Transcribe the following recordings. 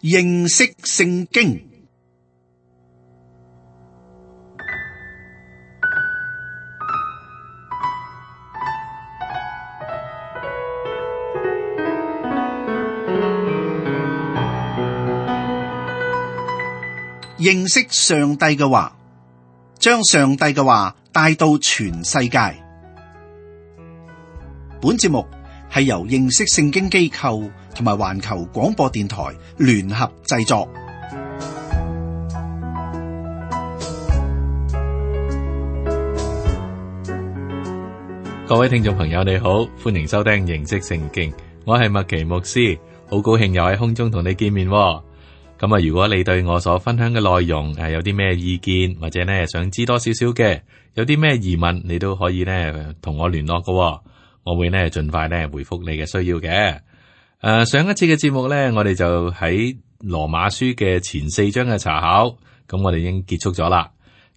認識聖經。認識上帝嘅話，將上帝嘅話帶到全世界。本節目係由認識聖經機構同埋環球廣播電台聯合製作。各位聽眾朋友，你好，歡迎收聽認識聖經。我係麥奇牧師，好高興又喺空中同你見面。咁啊，如果你對我所分享嘅內容有啲咩意見，或者呢想知多少少嘅，有啲咩疑問，你都可以呢同我聯絡嘅。我會呢盡快呢回覆你嘅需要嘅。上一次嘅節目呢，我哋就喺羅馬書嘅前4章嘅查考，咁我哋已經結束咗啦。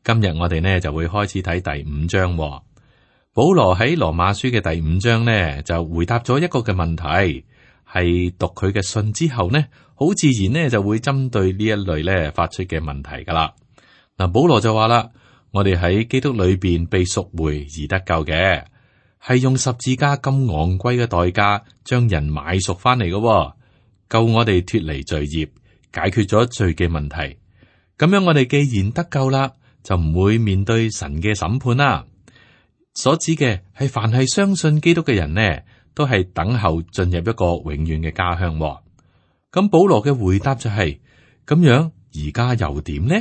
今日我哋呢就會開始睇第5章。保羅喺羅馬書嘅第5章呢就回答咗一個嘅問題，係讀佢嘅信之後呢，好自然呢就會針對呢一類呢發出嘅問題噶啦。嗱，保羅就話啦，我哋喺基督裏邊被贖回而得救嘅，係用十字架咁昂貴嘅代價將人買贖翻嚟嘅，救我哋脫離罪孽，解決咗罪嘅問題。咁樣我哋既然得救啦，就唔會面對神嘅審判啦。所指嘅係凡係相信基督嘅人呢，都係等候進入一個永遠嘅家鄉。咁保羅嘅回答就係咁樣，而家又點呢？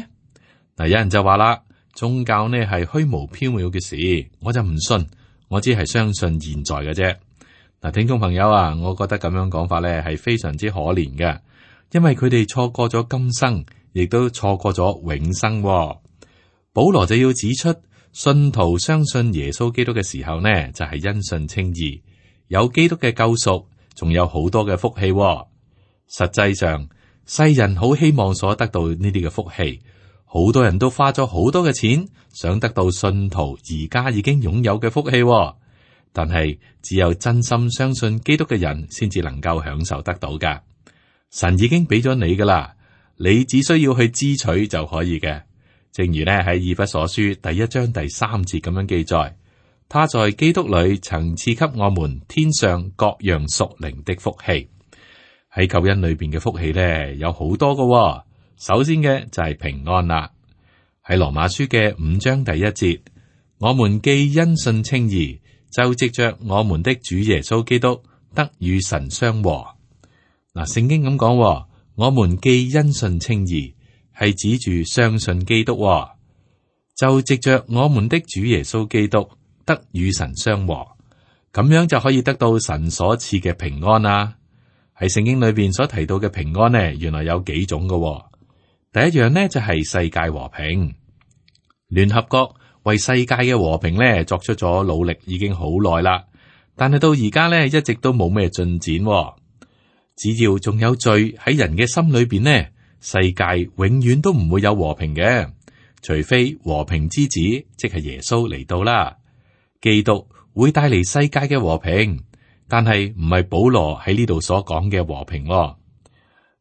嗱，有人就話啦，宗教呢係虛無縹緲嘅事，我就唔信，我只係相信現在嘅啫。嗱，聽眾朋友啊，我覺得咁樣講法呢係非常之可憐嘅，因為佢哋錯過咗今生，亦都錯過咗永生。保羅就要指出，信徒相信耶穌基督嘅時候呢，就係因信稱義，有基督嘅救贖，仲有好多嘅福氣。實際上，世人好希望所得到呢啲嘅福氣，好多人都花咗好多嘅錢，想得到信徒而家已經擁有嘅福氣。但係只有真心相信基督嘅人，先至能夠享受得到噶。神已經俾咗你噶啦，你只需要去支取就可以嘅。正如呢喺以弗所書第1章第3節咁樣記載，他在基督裏曾賜給我們天上各樣屬靈的福氣。喺救恩裏邊嘅福氣呢，有好多噶。首先嘅就係平安啦。喺羅馬書嘅5章第1節，我們既因信稱義，就藉着我們的主耶穌基督得與神相和。嗱，聖經咁講，我們既因信稱義，係指住相信基督，就藉着我們的主耶穌基督得與神相和，咁樣就可以得到神所賜嘅平安啦。喺聖經裏邊所提到嘅平安呢，原來有幾種嘅。第一樣呢，就係世界和平。聯合國為世界嘅和平呢作出咗努力已經好耐啦，但係到而家呢，一直都冇咩進展。只要仲有罪喺人嘅心裏邊呢，世界永遠都唔會有和平嘅，除非和平之子即係耶穌嚟到啦。基督會帶嚟世界嘅和平。但係唔係保羅喺呢度所講嘅和平。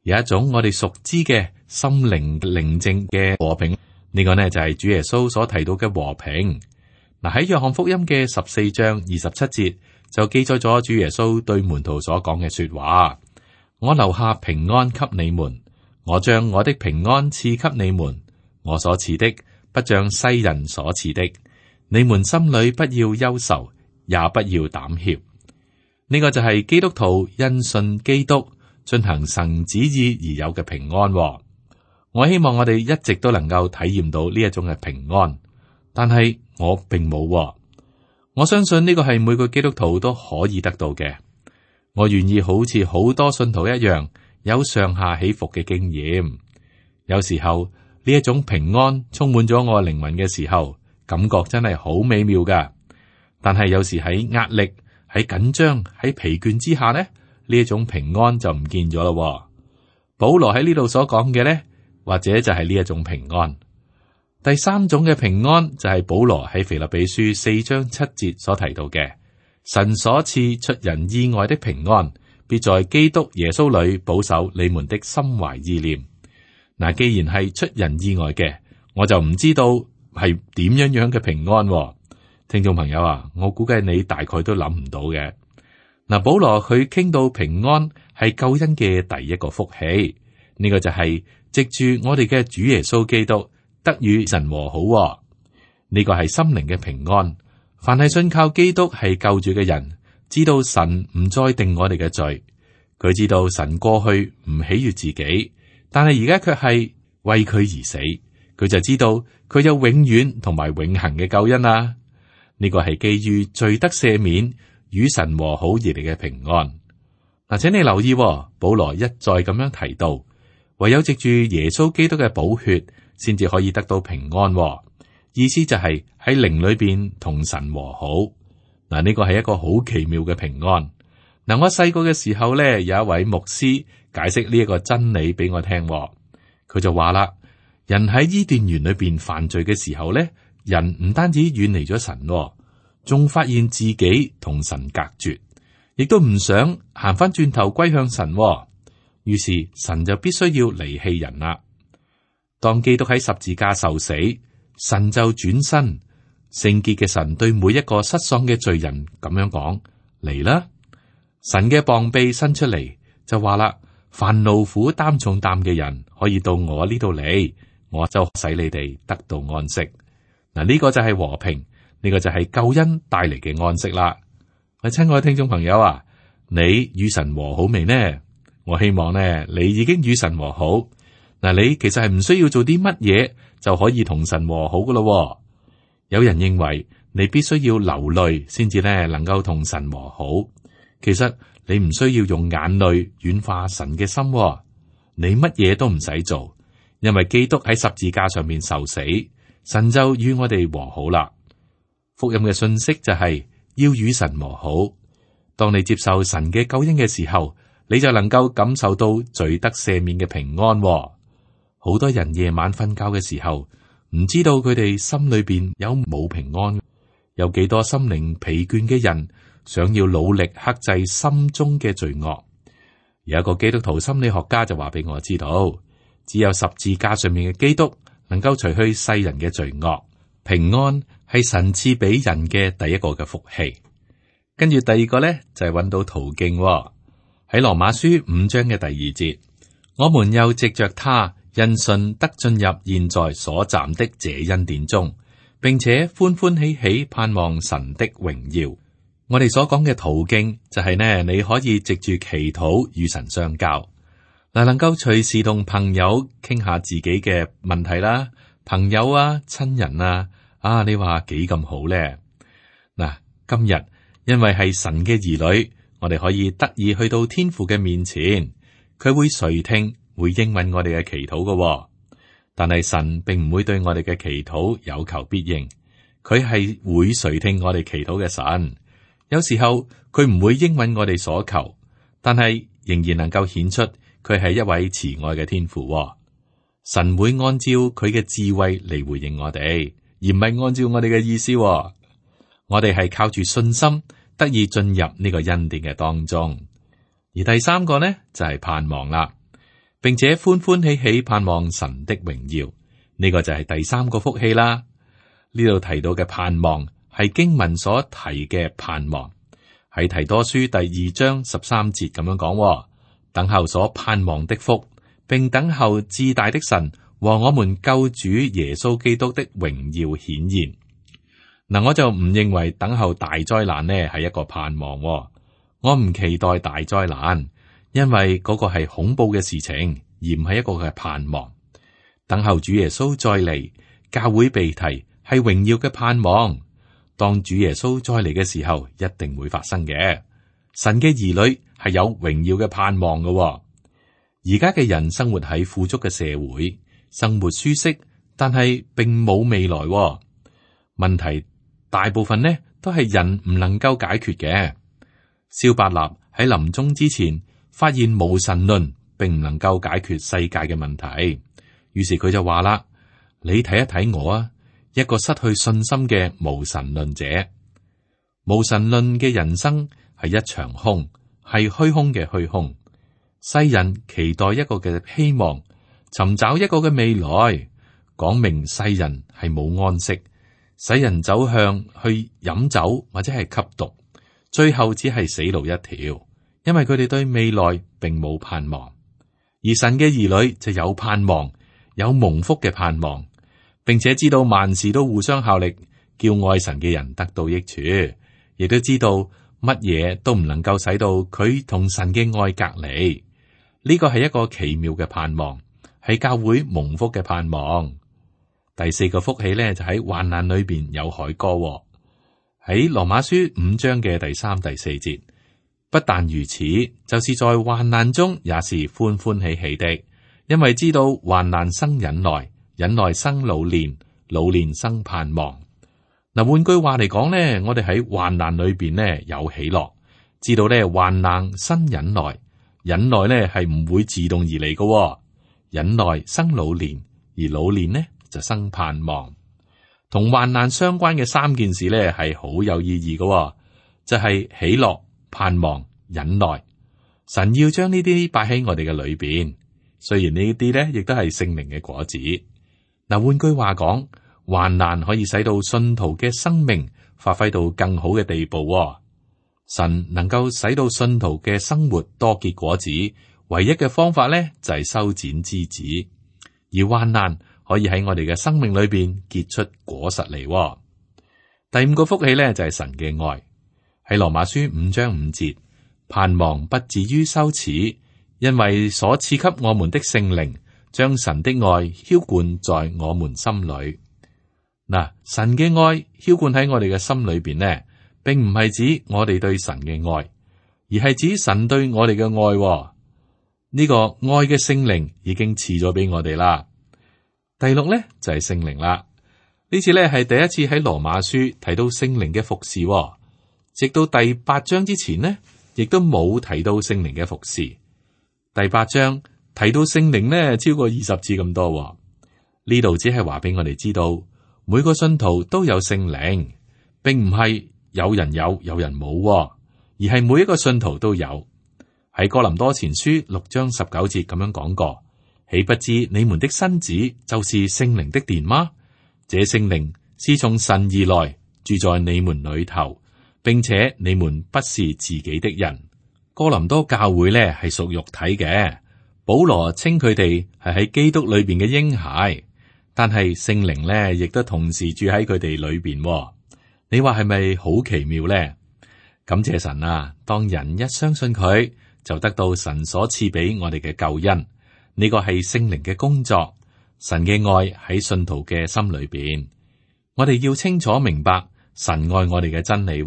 有一種我哋熟知嘅心靈寧靜嘅和平，呢個呢就係主耶穌所提到嘅和平。嗱，喺約翰福音嘅14章27節就記載咗主耶穌對門徒所講嘅說話：我留下平安給你們，我將我的平安賜給你們，我所賜的不像世人所賜的，你們心裏不要憂愁，也不要膽怯。呢個就係基督徒因信基督進行神旨意而有嘅平安。我希望我哋一直都能夠體驗到呢一種嘅平安，但係我並冇。我相信呢個係每個基督徒都可以得到嘅。我願意好似好多信徒一樣，有上下起伏嘅經驗。有時候呢一種平安充滿咗我靈魂嘅時候，感覺真係好美妙噶。但係有時喺壓力、喺緊張、喺疲倦之下呢，呢一種平安就唔見咗咯。保羅喺呢度所講嘅呢，或者就係呢一種平安。第三種嘅平安就係保羅喺腓立比書4章7節所提到嘅，神所賜出人意外的平安，必在基督耶穌裏保守你們的心懷意念。嗱，既然係出人意外嘅，我就唔知道係點樣嘅平安喎。聽眾朋友啊，我估計你大概都諗唔到嘅。嗱，保羅佢傾到平安係救恩嘅第一個福氣，呢個就係藉住我哋嘅主耶穌基督得與神和好喎。呢個係心靈嘅平安。凡係信靠基督係救主嘅人，知道神唔再定我哋嘅罪，佢知道神過去唔喜悅自己，但係而家卻係為佢而死，佢就知道佢有永遠同埋永恆嘅救恩啦。呢個係基於罪得赦免、與神和好而嚟嘅平安。嗱，請你留意喎，保羅一再咁樣提到，唯有藉住耶穌基督嘅寶血，先至可以得到平安喎。意思就係喺靈裏邊同神和好。嗱，呢個係一個好奇妙嘅平安。嗱，我細個嘅時候咧，有一位牧師解釋呢一個真理俾我聽喎。佢就話啦，人喺伊甸園裏邊犯罪嘅時候咧，人唔單止遠離咗神喎，仲發現自己同神隔絕，亦都唔想行翻轉頭歸向神喎。於是神就必須要離棄人啦。當基督喺十字架受死，神就轉身，聖潔嘅神對每一個失喪嘅罪人咁樣講：嚟啦！神嘅膀臂伸出嚟，就話啦：凡勞苦擔重擔嘅人，可以到我呢度嚟，我就使你哋得到安息。嗱，呢個就係和平，呢個就係救恩帶嚟嘅安息啦。喂，親愛嘅聽眾朋友啊，你與神和好未呢？我希望呢，你已經與神和好。嗱，你其實係唔需要做啲乜嘢就可以同神和好噶咯。有人認為你必須要流淚先至咧能夠同神和好，其實你唔需要用眼淚軟化神嘅心，你乜嘢都唔使做，因為基督喺十字架上面受死，神就與我哋和好啦。福音嘅信息就係要與神和好。當你接受神嘅救恩嘅時候，你就能夠感受到罪得赦免嘅平安。好多人夜晚瞓覺嘅時候，唔知道佢哋心裏邊有冇平安。有幾多心靈疲倦嘅人想要努力克制心中嘅罪惡。有一個基督徒心理學家就話俾我知道，只有十字架上面嘅基督能夠除去世人嘅罪惡。平安係神賜俾人嘅第一個嘅福氣。跟住第二個咧就係揾到途徑喺羅馬書5章嘅第2節，我們又藉着他因信得進入現在所站的這恩典中，並且歡歡喜喜盼望神的榮耀。我哋所講嘅途徑就係呢，你可以藉住祈禱與神相交，嗱，能夠隨時同朋友傾下自己嘅問題啦，朋友啊、親人啊，你話幾咁好咧？嗱，今日因為係神嘅兒女，我哋可以得以去到天父嘅面前，佢會垂聽，會應允我哋嘅祈禱嘅。但係神並唔會對我哋嘅祈禱有求必應，佢係會垂聽我哋祈禱嘅神。有時候佢唔會應允我哋所求，但係仍然能夠顯出佢係一位慈愛嘅天父。神會按照佢嘅智慧嚟回應我哋，而唔係按照我哋嘅意思。我哋係靠住信心得以進入呢個恩典嘅當中。而第三個呢，就係盼望啦，並且歡歡喜喜盼望神的榮耀。呢個就係第三個福氣啦。呢度提到嘅盼望係經文所提嘅盼望，喺提多書第2章13節咁樣講：等候所盼望的福，並等候至大的神和我們救主耶穌基督的榮耀顯現。嗱，我就唔認為等候大災難呢係一個盼望。我唔期待大災難，因為嗰個係恐怖嘅事情，而唔係一個嘅盼望。等候主耶穌再嚟，教會被提係榮耀嘅盼望。當主耶穌再嚟嘅時候，一定會發生嘅。神嘅兒女係有榮耀嘅盼望嘅。而家嘅人生活喺富足嘅社會，生活舒適，但係並冇未來。問題大部分呢都係人唔能夠解決嘅。蕭伯納喺臨終之前發現無神論並唔能夠解決世界嘅問題，於是佢就話啦：你睇一睇我啊，一個失去信心嘅無神論者。無神論嘅人生係一場空，係虛空嘅虛空。世人期待一個嘅希望，尋找一個嘅未來，講明世人係冇安息，使人走向去飲酒或者係吸毒，最後只係死路一條，因為佢哋對未來並冇盼望。而神嘅兒女就有盼望，有蒙福嘅盼望，並且知道萬事都互相效力，叫愛神嘅人得到益處，亦都知道乜嘢都唔能夠使到佢同神嘅愛隔離。呢個係一個奇妙嘅盼望，係教會蒙福嘅盼望。第四個福氣咧，就喺患難裏邊有凱歌，喺羅馬書5章嘅第3、第4節。不但如此，就是在患難中也是歡歡喜喜的，因為知道患難生忍耐，忍耐生老練，老練生盼望。嗱，換句話嚟講咧，我哋喺患難裏邊咧有喜樂，知道咧患難生忍耐，忍耐咧係唔會自動而嚟嘅，忍耐生老練，而老練呢就生盼望。同患難相關嘅3件事咧係好有意義嘅，就係喜樂、盼望、忍耐。神要將呢啲擺喺我哋嘅裏邊，雖然呢啲咧亦都係聖靈嘅果子。嗱，換句話講，患難可以使到信徒嘅生命發揮到更好嘅地步。神能夠使到信徒嘅生活多結果子，唯一嘅方法咧就係修剪枝子，而患難可以喺我哋嘅生命裏邊結出果實嚟。第5個福氣咧就係神嘅愛。喺羅馬書5章5節，盼望不至於羞恥，因為所賜給我們的聖靈，將神的愛澆灌在我們心裏。嗱，神嘅愛澆灌喺我哋嘅心裏邊呢，並唔係指我哋對神嘅愛，而係指神對我哋嘅愛。呢個愛嘅聖靈已經賜咗俾我哋啦。第6呢就係聖靈啦。呢次呢係第一次喺羅馬書提到聖靈嘅服侍。直到第8章之前呢，亦都冇提到聖靈嘅服侍。第8章提到聖靈呢，超過20次咁多。呢度只係話俾我哋知道，每個信徒都有聖靈，並唔係有人有，有人冇，而係每一個信徒都有。喺哥林多前書6章19節咁樣講過，豈不知你們的身子就是聖靈的殿嗎？這聖靈是從神而來，住在你們裏頭，並且你們不是自己的人。哥林多教會呢係屬肉體嘅，保羅稱佢哋係喺基督裏邊嘅嬰孩，但係聖靈呢亦都同時住喺佢哋裏邊。你話係咪好奇妙呢？感謝神啊！當人一相信佢，就得到神所賜俾我哋嘅救恩。呢個係聖靈嘅工作，神嘅愛喺信徒嘅心裏邊。我哋要清楚明白神愛我哋嘅真理。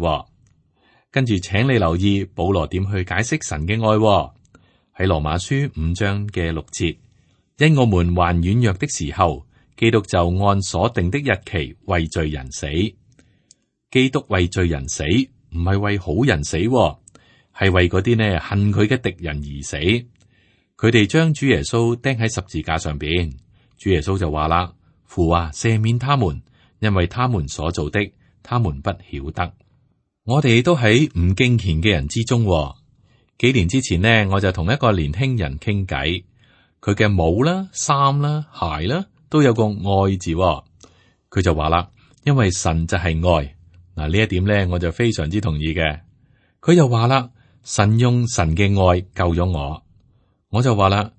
跟住，請你留意保羅點去解釋神嘅愛。喺羅馬書5章嘅6節，因我們還軟弱的時候，基督就按所定的日期為罪人死。基督為罪人死，唔係為好人死，係為嗰啲呢恨佢嘅敵人而死。佢哋將主耶穌釘喺十字架上邊，主耶穌就話啦：父啊，赦免他們，因為他們所做的，他們不曉得。我哋都喺唔敬虔嘅人之中。幾年之前呢，我就同一個年輕人傾偈，佢嘅帽啦、衫啦、鞋啦，都有個愛字。佢就話啦：因為神就係愛。嗱，呢一點咧，我就非常之同意嘅。佢又話啦：神用神嘅愛救咗我。我就話啦：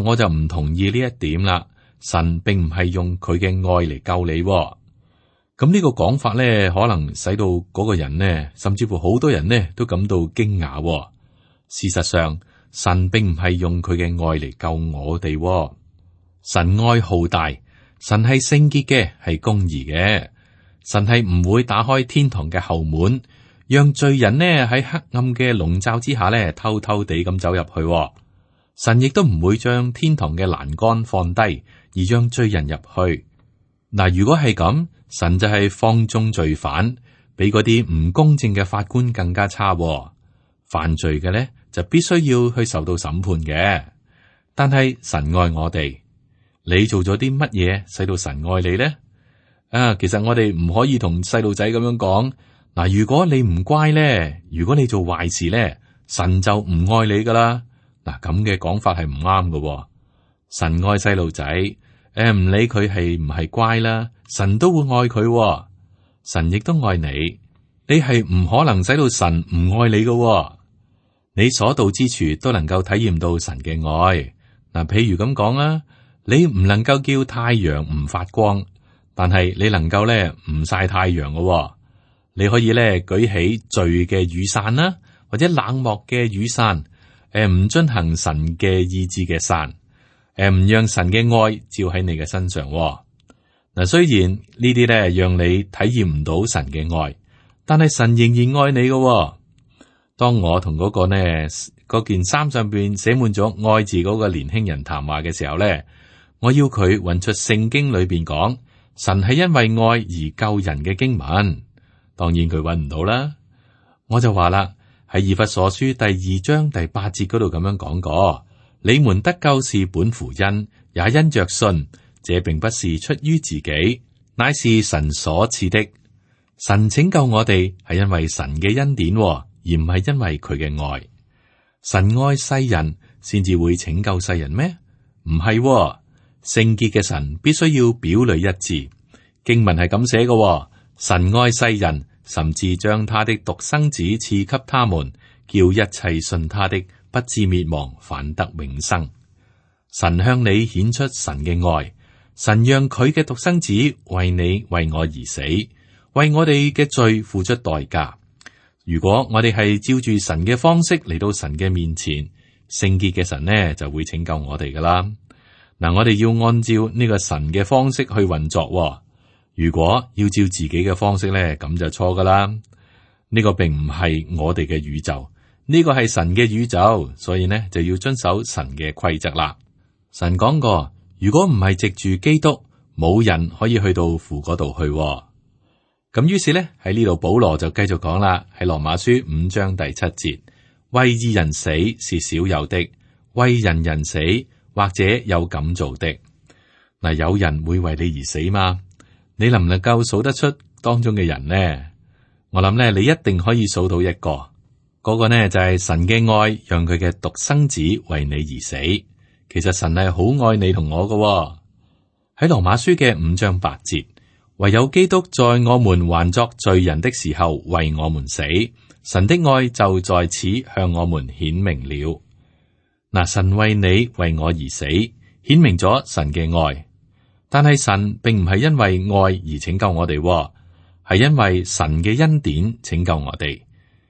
我就唔同意呢一點啦。神並唔係用佢嘅愛嚟救你。咁呢個講法咧，可能使到嗰個人呢，甚至乎好多人呢，都感到驚訝。事實上，神並唔係用佢嘅愛嚟救我哋。神愛浩大，神係聖潔嘅，係公義嘅。神係唔會打開天堂嘅後門，讓罪人呢喺黑暗嘅籠罩之下呢偷偷地咁走入去。神亦都唔會將天堂嘅欄杆放低，而讓罪人入去。嗱，如果係咁，神就係放縱罪犯，比嗰啲唔公正嘅法官更加差。犯罪嘅呢，就必須要去受到審判嘅。但係神愛我哋，你做咗啲乜嘢使到神愛你呢？其實我哋唔可以同細路仔咁樣講。嗱，如果你唔乖咧，如果你做壞事咧，神就唔愛你噶啦。嗱，咁嘅講法係唔啱嘅。神愛細路仔，唔理佢係唔係乖啦，神都會愛佢。神亦都愛你，你係唔可能使到神唔愛你嘅。你所到之處都能夠體驗到神嘅愛。嗱，譬如咁講啦，你唔能夠叫太陽唔發光，但係你能夠咧唔曬太陽嘅。你可以咧舉起罪嘅雨傘啦，或者冷漠嘅雨傘，唔遵行神嘅意志嘅傘，唔讓神嘅愛照喺你嘅身上。嗱，雖然呢啲咧讓你體驗唔到神嘅愛，但係神仍然愛你嘅。當我同嗰個呢嗰件衫上邊寫滿咗愛字嗰個年輕人談話嘅時候咧，我要佢揾出聖經裏邊講神係因為愛而救人嘅經文。當然佢揾唔到啦。我就話啦，喺以弗所書第2章第8節嗰度咁樣講過，你們得救是本乎恩，也因着信，這並不是出於自己，乃是神所賜的。神拯救我哋係因為神嘅恩典，而唔係因為佢嘅愛。神愛世人，先至會拯救世人咩？唔係，聖潔嘅神必須要表裏一致。經文係咁寫嘅，神愛世人，甚至將他的獨生子賜給他們，叫一切信他的不至滅亡，反得永生。神向你顯出神嘅愛，神讓佢嘅獨生子為你為我而死，為我哋嘅罪付出代價。如果我哋係照住神嘅方式嚟到神嘅面前，聖潔嘅神呢就會拯救我哋噶啦。嗱，我哋要按照呢個神嘅方式去運作。如果要照自己嘅方式呢，咁就錯噶啦。呢個並唔係我哋嘅宇宙，呢個係神嘅宇宙，所以呢就要遵守神嘅規則啦。神講過，如果唔係藉住基督，冇人可以去到父嗰度去。咁於是呢，喺呢度保羅就繼續講啦，喺羅馬書5章第7節，為義人死是少有的，為人死或者有敢做的。嗱，有人會為你而死嗎？你能唔能夠數得出當中嘅人呢？我諗呢，你一定可以數到一個，嗰個呢就係神嘅愛，讓佢嘅獨生子為你而死。其實神係好愛你同我㗎。喺羅馬書嘅5章8節。唯有基督在我們還作罪人的時候為我們死，神的愛就在此向我們顯明了。嗱，神為你為我而死，顯明咗神嘅愛。但係神並唔係因為愛而拯救我哋，係因為神嘅恩典拯救我哋。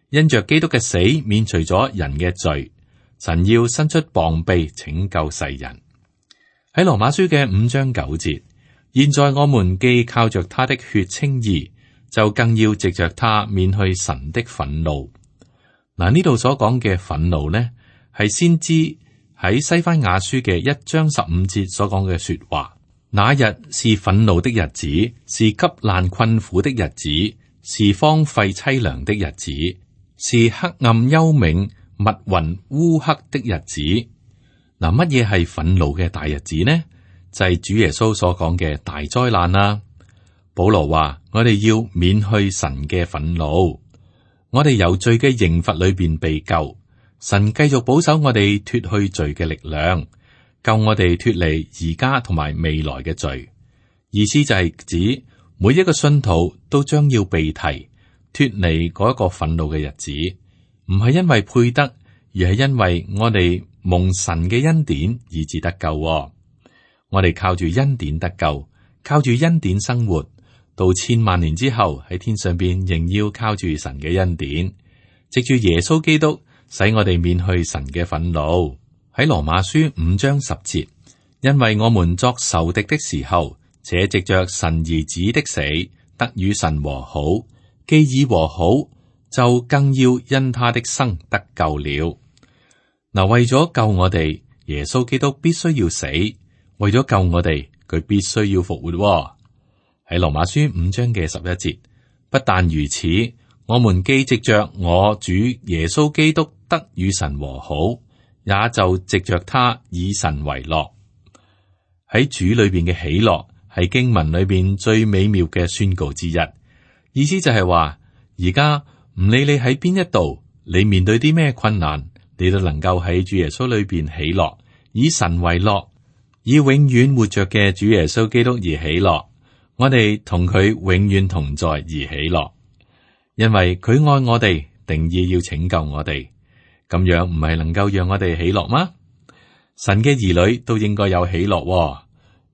因着基督嘅死，免除咗人嘅罪，神要伸出膀臂拯救世人。喺羅馬書嘅5章9節。現在我們既靠着他的血稱義，就更要藉着他免去神的憤怒。嗱，呢度所講嘅憤怒呢，係先知喺西番雅書嘅1章15節所講嘅說話。那日是憤怒的日子，是急難困苦的日子，是荒廢淒涼的日子，是黑暗幽冥密雲烏黑的日子。嗱，乜嘢係憤怒嘅大日子呢？就係主耶穌所講嘅大災難啦。保羅話：我哋要免去神嘅憤怒，我哋由罪嘅刑罰裏邊被救。神繼續保守我哋脫去罪嘅力量，救我哋脫離而家同埋未來嘅罪。意思就係指每一個信徒都將要被提脫離嗰一個憤怒嘅日子，唔係因為配得，而係因為我哋蒙神嘅恩典以致得救。我哋靠住恩典得救，靠住恩典生活，到千萬年之後喺天上邊仍要靠住神嘅恩典，藉住耶穌基督使我哋免去神嘅憤怒。喺羅馬書5章10節，因為我們作仇敵的時候，且藉着神兒子的死得與神和好，既已和好，就更要因他的生得救了。嗱，為咗救我哋，耶穌基督必須要死。為咗救我哋，佢必須要復活。喺羅馬書5章嘅11節，不但如此，我們既藉着我主耶穌基督得與神和好，也就藉着他以神為樂。喺主裏邊嘅喜樂係經文裏邊最美妙嘅宣告之一。意思就係話，而家唔理你喺邊一度，你面對啲咩困難，你都能夠喺主耶穌裏邊喜樂，以神為樂，以永遠活着嘅主耶穌基督而喜樂。我哋同佢永遠同在而喜樂，因為佢愛我哋，定意要拯救我哋。咁樣唔係能夠讓我哋喜樂嗎？神嘅兒女都應該有喜樂喎，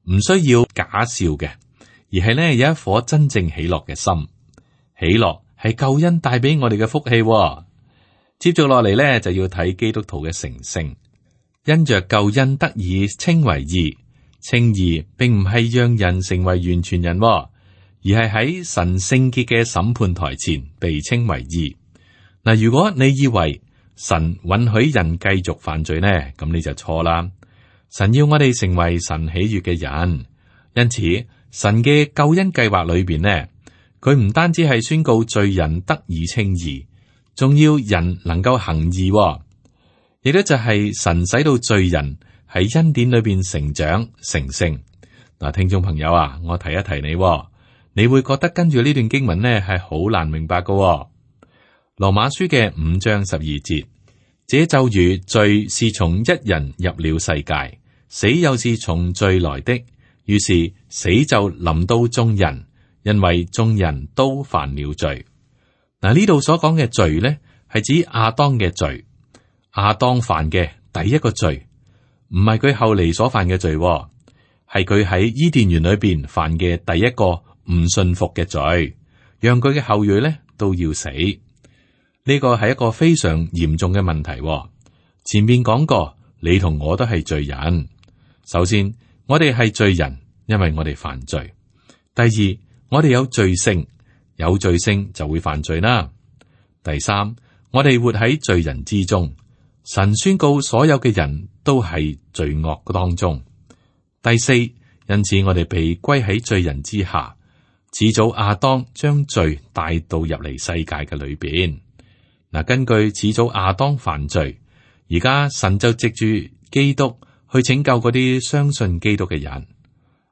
唔需要假笑嘅，而係呢有一顆真正喜樂嘅心。喜樂係救恩帶俾我哋嘅福氣喎。接續落嚟呢，就要睇基督徒嘅成聖，因着救恩得以稱為義。稱義並唔係讓人成為完全人喎，而係喺神聖潔嘅審判台前被稱為義。嗱，如果你以為神允許人繼續犯罪呢，咁你就錯啦。神要我哋成為神喜悅嘅人，因此神嘅救恩計劃裏邊呢，佢唔單止係宣告罪人得以稱義，仲要人能夠行義喎，亦都就係神使到罪人喺恩典裏邊成長成聖。嗱，聽眾朋友啊，我提一提你喎，你會覺得跟住呢段經文呢係好難明白噶喎。羅馬書嘅5章12節，這就如罪是從一人入了世界，死又是從罪來的，於是死就臨到眾人，因為眾人都犯了罪。嗱，呢度所講嘅罪呢，係指亞當嘅罪，亞當犯嘅第一個罪，唔係佢後嚟所犯嘅罪喎，係佢喺伊甸園裏邊犯嘅第一個唔信服嘅罪，讓佢嘅後裔呢都要死。呢個係一個非常嚴重嘅問題喎。前面講過，你同我都係罪人。首先，我哋係罪人，因為我哋犯罪。第二，我哋有罪性，有罪性就會犯罪啦。第三，我哋活喺罪人之中，神宣告所有嘅人都係罪惡當中。第四，因此我哋被歸喺罪人之下，始祖亞當將罪帶到入嚟世界嘅裏邊。嗱，根據始祖亞當犯罪，而家神就藉住基督去拯救嗰啲相信基督嘅人。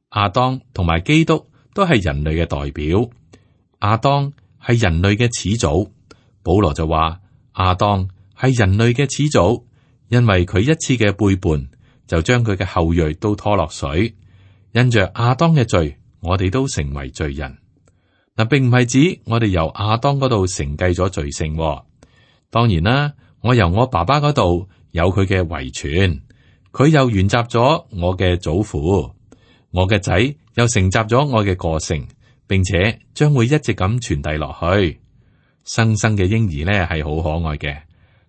亞當同埋基督都係人類嘅代表。亞當係人類嘅始祖，保羅就話亞當係人類嘅始祖，因為佢一次嘅背叛就將佢嘅後裔都拖落水。因着亞當嘅罪，我哋都成為罪人。嗱，並唔係指我哋由亞當嗰度承繼咗罪性。當然啦，我由我爸爸嗰度有佢嘅遺傳，佢又沿襲咗我嘅祖父，我嘅仔又承襲咗我嘅個性，並且將會一直咁傳遞落去。新生嘅嬰兒呢係好可愛嘅，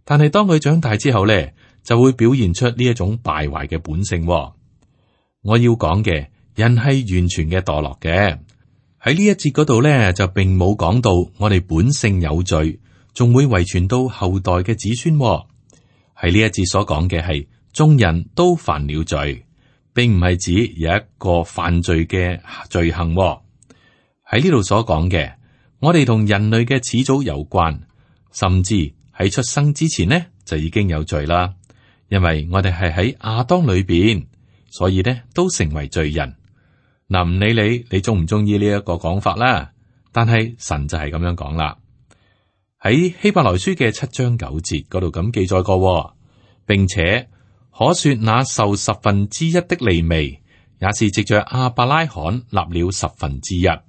但係當佢長大之後呢，就會表現出呢一種敗壞嘅本性。我要講嘅，人係完全嘅墮落嘅。喺呢一節嗰度呢，就並冇講到我哋本性有罪，仲會遺傳到後代嘅子孫。喺呢一節所講嘅係眾人都犯了罪，並唔係指有一個犯罪嘅罪行。喺呢度所講嘅，我哋同人類嘅始祖有關，甚至喺出生之前呢就已經有罪啦。因為我哋係喺亞當裏邊，所以呢都成為罪人。嗱，唔理你中唔中意呢一個講法啦，但係神就係咁樣講啦。喺希伯來書嘅7章9節嗰度咁記載過，並且可說那受1/10的利未，也是藉着亞伯拉罕立了1/10。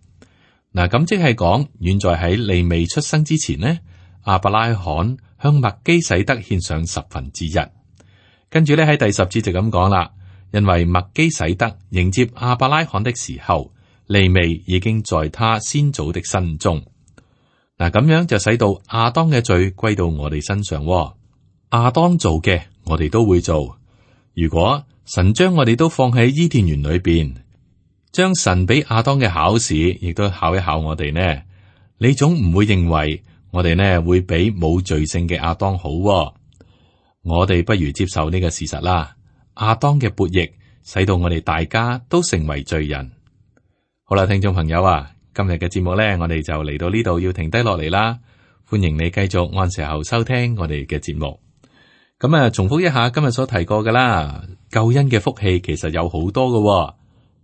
嗱，咁即係講，遠在喺利未出生之前呢，亞伯拉罕向麥基洗德獻上1/10。跟住咧喺第10節就咁講啦，因為麥基洗德迎接亞伯拉罕的時候，利未已經在他先祖的身中。嗱，咁樣就使到亞當嘅罪歸到我哋身上。亞當做嘅，我哋都會做。如果神將我哋都放喺伊甸園裏邊，將神俾亞當嘅考試，亦都考一考我哋呢？你總唔會認為我哋呢會比冇罪性嘅亞當好。我哋不如接受呢個事實啦。亞當嘅悖逆，使到我哋大家都成為罪人。好啦，聽眾朋友啊，今日嘅節目呢，我哋就嚟到呢度要停低落嚟啦。歡迎你繼續按時候收聽我哋嘅節目。咁啊，重複一下今日所提過噶啦，救恩嘅福氣其實有好多嘅。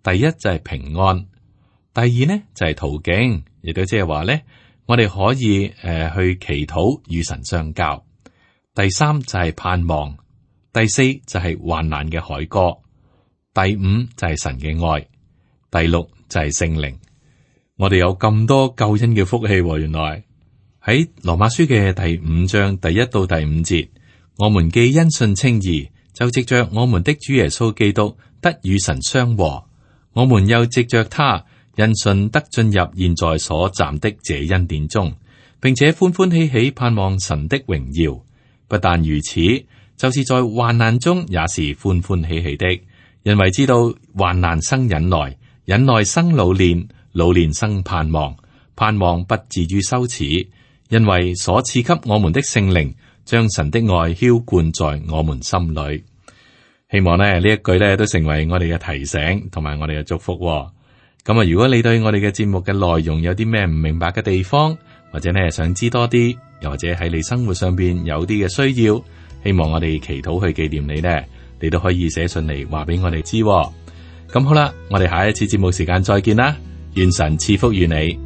第一就係平安，第二呢就係途徑，亦都即係話呢，我哋可以去祈禱與神相交。第三就係盼望，第四就係患難嘅凱歌，第五就係神嘅愛，第六就係聖靈。我哋有咁多救恩嘅福氣，原來喺羅馬書嘅第五章第一到第五節，我們既因信稱義，就藉着我們的主耶穌基督得與神相和，我們又藉着他因信得進入現在所站的這恩典中，並且歡歡喜喜盼望神的榮耀。不但如此，就是在患難中也是歡歡喜喜的，因為知道患難生忍耐，忍耐生老練，老練生盼望，盼望不至於羞恥，因為所賜給我們的聖靈將神的愛澆灌在我們心裏。希望呢一句呢都成為我哋嘅提醒同埋我哋嘅祝福。咁啊，如果你對我哋嘅節目嘅內容有啲咩唔明白嘅地方，或者呢想知多啲，又或者喺你生活上邊有啲嘅需要，希望我哋祈禱去紀念你呢，你都可以寫信嚟話俾我哋知。咁好啦，我哋下一次節目時間再見啦，願神賜福於你。